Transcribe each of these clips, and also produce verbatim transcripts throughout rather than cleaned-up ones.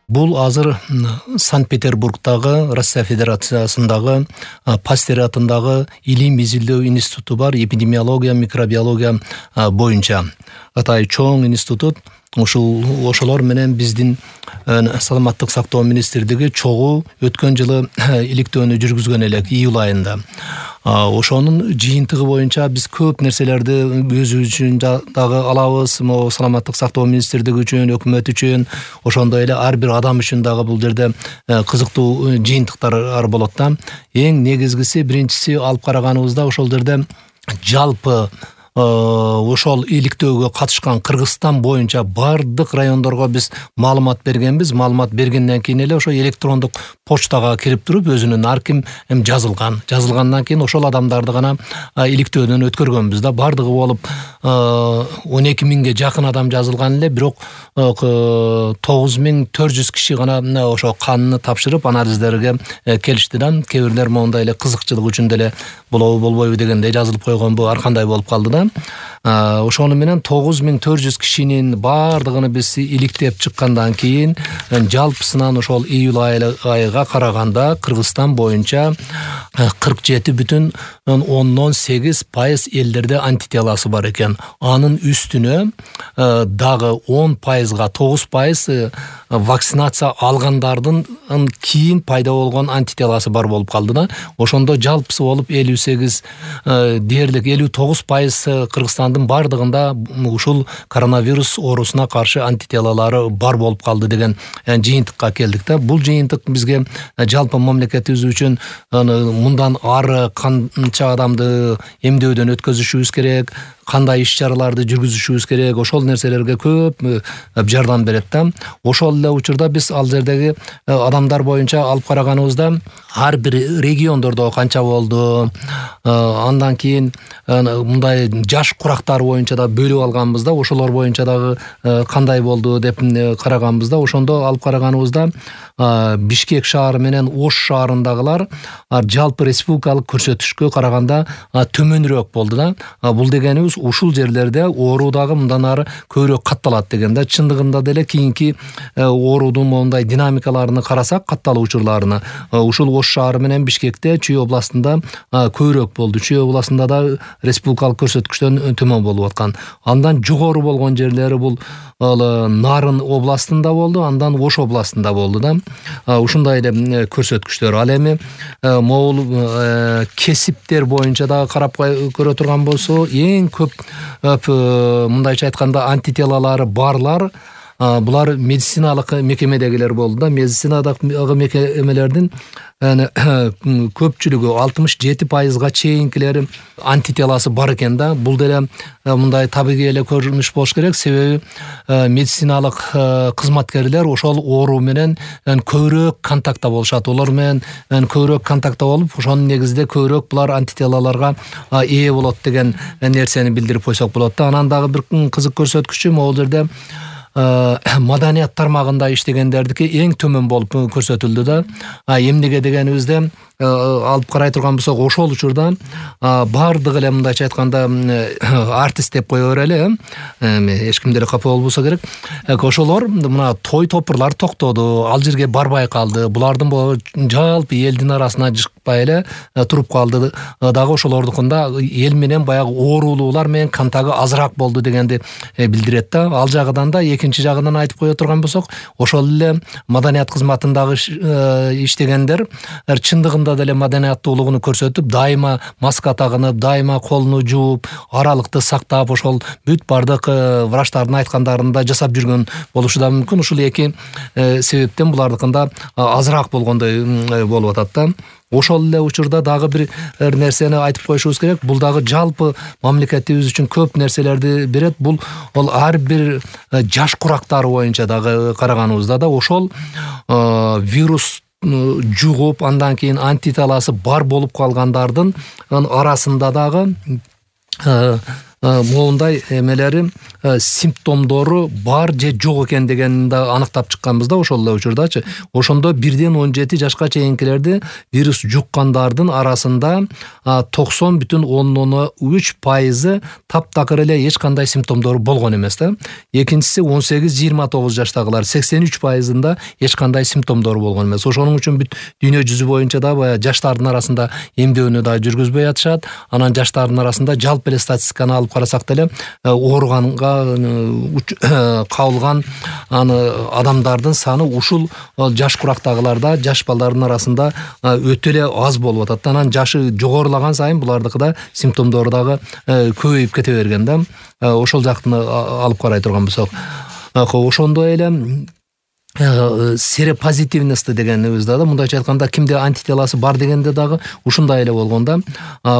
Бул азыр Санкт-Петербургдагы Россия Федерациясындагы Пастер атындагы илим изилдөө институту бар, эпидемиология, микробиология боюнча. Атай чоң институт. Ушул ошолор менен биздин саламаттык сактоо министрлиги чогуу өткөн жылы иликтөөнү жүргүзгөн элек июль айында. Ошонун жыйынтыгы боюнча биз көп нерселерди өзүбүз үчүн дагы алабыз, могу саламаттык сактоо министрлиги үчүн, өкмөт үчүн, ошондой эле ар бир адам үчүн дагы бул жерде кызыктуу жыйынтыктар болот да. Эң негизгиси, биринчиси алып караганыбызда ошол жерде жалпы ошол иликтөөгө катышкан Кыргызстан боюнча бардык райондорго биз маалымат бергенбиз. Маалымат бергенден кийин эле ошо электрондук почтага кирип туруп өзүнүн ар ким эми жазылган. Жазылгандан кийин ошол адамдарды гана иликтөөдөн өткөргөнбүз да. Бардыгы болуп он эки миңге жакын адам жазылган эле, бирок тогуз миң төрт жүз киши гана ошо канны тапшырып анализдерге келишти да. Кээ бирлер моундай эле кызыкчылык үчүн деле болобу болбойбу дегендей жазылып койгонбу, ар кандай болуп калды да. Ошону менен тогуз миң төрт жүз кишинин бардыгын биз иликтеп чыккандан кийин жалпысынан ошол июль айга караганда Кыргызстан боюнча кырк жети бүтүн ондон сегиз пайыз элдерде антителасы бар экен. Анын үстүнө дагы он пайызга тогуз пайыз вакцинация алгандардын кийин пайда болгон антителасы бар болуп калды да. Ошондо жалпысы болуп элүү сегиз дээрлик элүү тогуз пайыз Кыргызстандын бардыгында ушул коронавирус оорусуна каршы антителалары бар болуп калды деген жыйынтыкка келдик да. Бул жыйынтык бизге жалпы мамлекетибиз үчүн мындан ары канча адамды эмдөөдөн өткөзүшүбүз керек, кандай иш-чараларды жүргүзүшүбүз керек, ошол нерселерге көп жардам берет да. Ошол эле учурда биз ал жердеги адамдар боюнча алып караганыбызда ар бир региондордо канча болду, андан кийин мындай жаш курактар боюнча да бөлүп алганбыз да, ошолор боюнча дагы кандай болду деп караганбызда, ошондо алып караганыбызда Бишкек шаары менен Ош шаарындагылар жалпы республикалык көрсөтүшкө караганда төмөнүрөөк болду да. Бул дегенибиз ушул жерлерде оору дагы мындан ары көбүрөөк катталат деген да. Чындыгында деле кийинки оорудун моундай динамикаларын карасак, катталуу учурларына ушул Ош шаары менен Бишкекте, Чүй областында көбүрөөк болду. Чүй областында да республикалык көрсөткүчтөн төмөн болуп аткан. Андан жогору болгон жерлери бул Нарын областында болду, андан Ош областында болду да. Ушундай эле көрсөткүчтөр. Ал эми могул кесиптер боюнча дагы карап көрө турган болсо, эң көп мындайча айтканда антителалары барлар булар медициналык мекемедегилер болду да. Медициналык мекемелердин көпчүлүгү алтымыш жети пайызга чейинкилери антителасы бар экен да. Бул деле мындай табигый эле көрүнүш болуш керек, себеби медициналык кызматкерлер ошол оору менен көбүрөөк контактта болушат. Олар менен көбүрөөк контактта болуп, ошонун негизинде көбүрөөк булар антителаларга ээ болот деген нерсени билдирип койсок болот да. Анан дагы бир кызык көрсөткүчү могул жерде маданият тармагында иштегендердики эң төмөн болуп көрсөтүлдү да. Эмнеге дегенибизде алып карай турган болсок, ошол учурда бардыгы эле мындайча айтканда артист деп кое берели, эми эч ким деле капа болбосо керек. Ошолор мына той топурлар токтоду, ал жерге барбай калды. Булардын жалпы элдин арасына жыкпай эле туруп калды. Дагы ошолордукунда эл менен баягы оорулуулар менен контагы азыраак болду дегенди билдирет да. Ал жагынан да экинчи жагынан айтып кое турган болсок, ошол эле маданият кызматындагы иштегендер чындыгында деле маданияттуулугун көрсөтүп, дайыма маска тагынып, дайыма колуну жууп, аралыкты сактап, ошол бүт бардык врачтардын айткандарын да жасап жүргөн болушу да мүмкүн. Ушул эки себептен булардыкында азыраак болгондой болуп атат да. Ошол эле учурда дагы бир нерсени айтып коюшубуз керек. Бул дагы жалпы мамлекетибиз үчүн көп нерселерди берет. Бул ол ар бир жаш курактары боюнча дагы караганыбызда да ошол вирус жугуп, андан кийин антителасы бар болуп калгандардын арасында дагы моундай эмелери симптомдору бар же жок экендигин дегенди аныктап чыкканбыз да ошол эле учурдачы. Ошондо бирден он жети жашка чейинкилерди вирус жуккандардын арасында токсон бүтүн ондон үч пайызы таптакыр эле эч кандай симптомдору болгон эмес да. Экинчиси он сегиз жыйырма тогуз жаштагылар сексен үч пайызында эч кандай симптомдору болгон эмес. Ошонун үчүн бүт дүйнө жүзү боюнча да баягы жаштардын арасында эмдөөнү да жүргүзбөй атышат. Анан жаштардын арасында жалпы эле статистиканы алып карасак деле ооруганга кабылган аны адамдардын саны ушул жаш курактагыларда, жаш балдардын арасында өтө эле аз болуп атат. Анан жашы жогорулаган сайын булардыкы да симптомдору дагы көбөйүп кете берген да. Ошол жактын алып карай турган болсок, ошондо эле серопозитивность дегенибиз да, мындайча айтканда кимде антителасы бар дегенде дагы ушундай эле болгон да.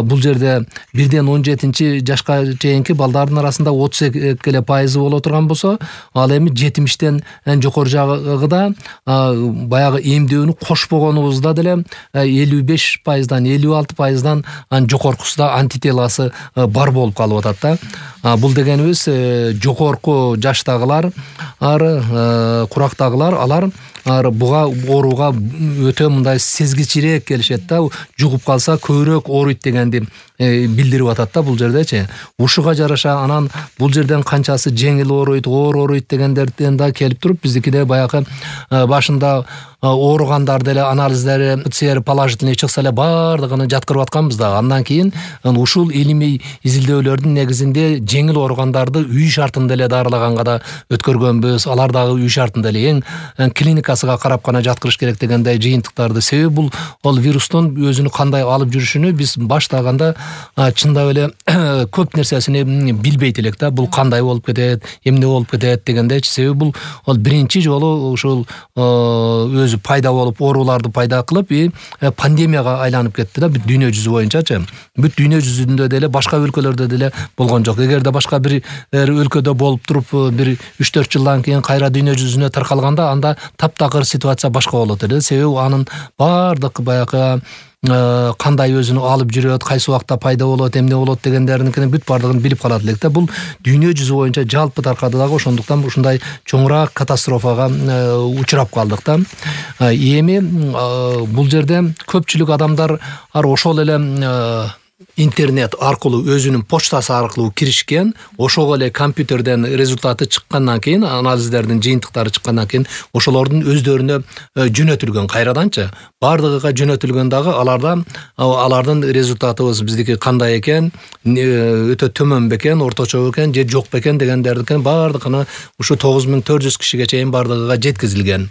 Бул жерде бирден он жетинчи жашка чейинки балдардын арасында отуз эки эле пайызы боло турган болсо, ал эми жетимиштен жокору жагыда баягы эмдөөнү кошпогонубузда деле элүү беш пайыздан элүү алты пайыздан жокоркусунда антителасы бар болуп калып атат да. Бул дегенибиз жокорку жаштагылар, курактагылар алар буга ооруга өтө мындай сезгичирээк келишет да. Жугуп калса көбүрөөк ооруйт дегенди билдирип атат да бул жердечи. Ушуга жараша анан бул жерден канчасы жеңил ооруйт, оор ооруйт дегендерден да келип туруп, биздикиде баягы башында ооругандар деле анализдери ПЦР положительный чыкса эле бардыгын жаткырып атканбыз да. Андан кийин ушул илимий изилдөөлөрдүн негизинде жеңил ооругандарды үй шартында эле дарылаганга да өткөргөнбүз. Алар дагы үй шартында эле эң клиникасыга карап гана жаткырыш керек дегендей жыйынтыктарды. Себеби бул ол вирустун өзүнү кандай алып жүрүшүнү биз баштаганда чындап эле көп нерсесини билбейт элек да. Бул кандай болуп кетет, эмне болуп кетет дегендейчи. Себеби бул ол биринчи жолу ушул өзү пайда болуп, ооруларды пайда кылып, пандемияга айланып кетти да бүт дүйнө жүзү боюнчачы. Бүт дүйнө жүзүндө деле, башка өлкөлөрдө деле болгон жок. Эгерде башка бир өлкөдө болуп туруп, бир үч төрт жылдан кийин кайра дүйнө жүзүнө таркалганда, анда таптакыр ситуация башка болот эле. Себеби анын бардык баягы кандай өзүнү алып жүрөт, кайсы убакта пайда болот, эмне болот дегендердикини бүт бардыгын билип калат элек да. Бул дүйнө жүзү боюнча жалпы таркады дагы, ошондуктан ушундай чоңураак катастрофага учурап калдык да. Эми бул жерде көпчүлүк адамдар ошол эле интернет аркылуу, өзүнүн почтасы аркылуу киришкен. Ошого эле компьютерден результаты чыккандан кийин, анализдердин жыйынтыктары чыккандан кийин ошолордун өздөрүнө жөнөтүлгөн кайраданчы. Бардыгыга жөнөтүлгөн дагы аларда алардын результатыбыз биздики кандай экен, өтө төмөн бекен, орточо бекен же жок бекен дегендердин бардыгына ушу тогуз миң төрт жүз кишиге чейин бардыгыга жеткизилген.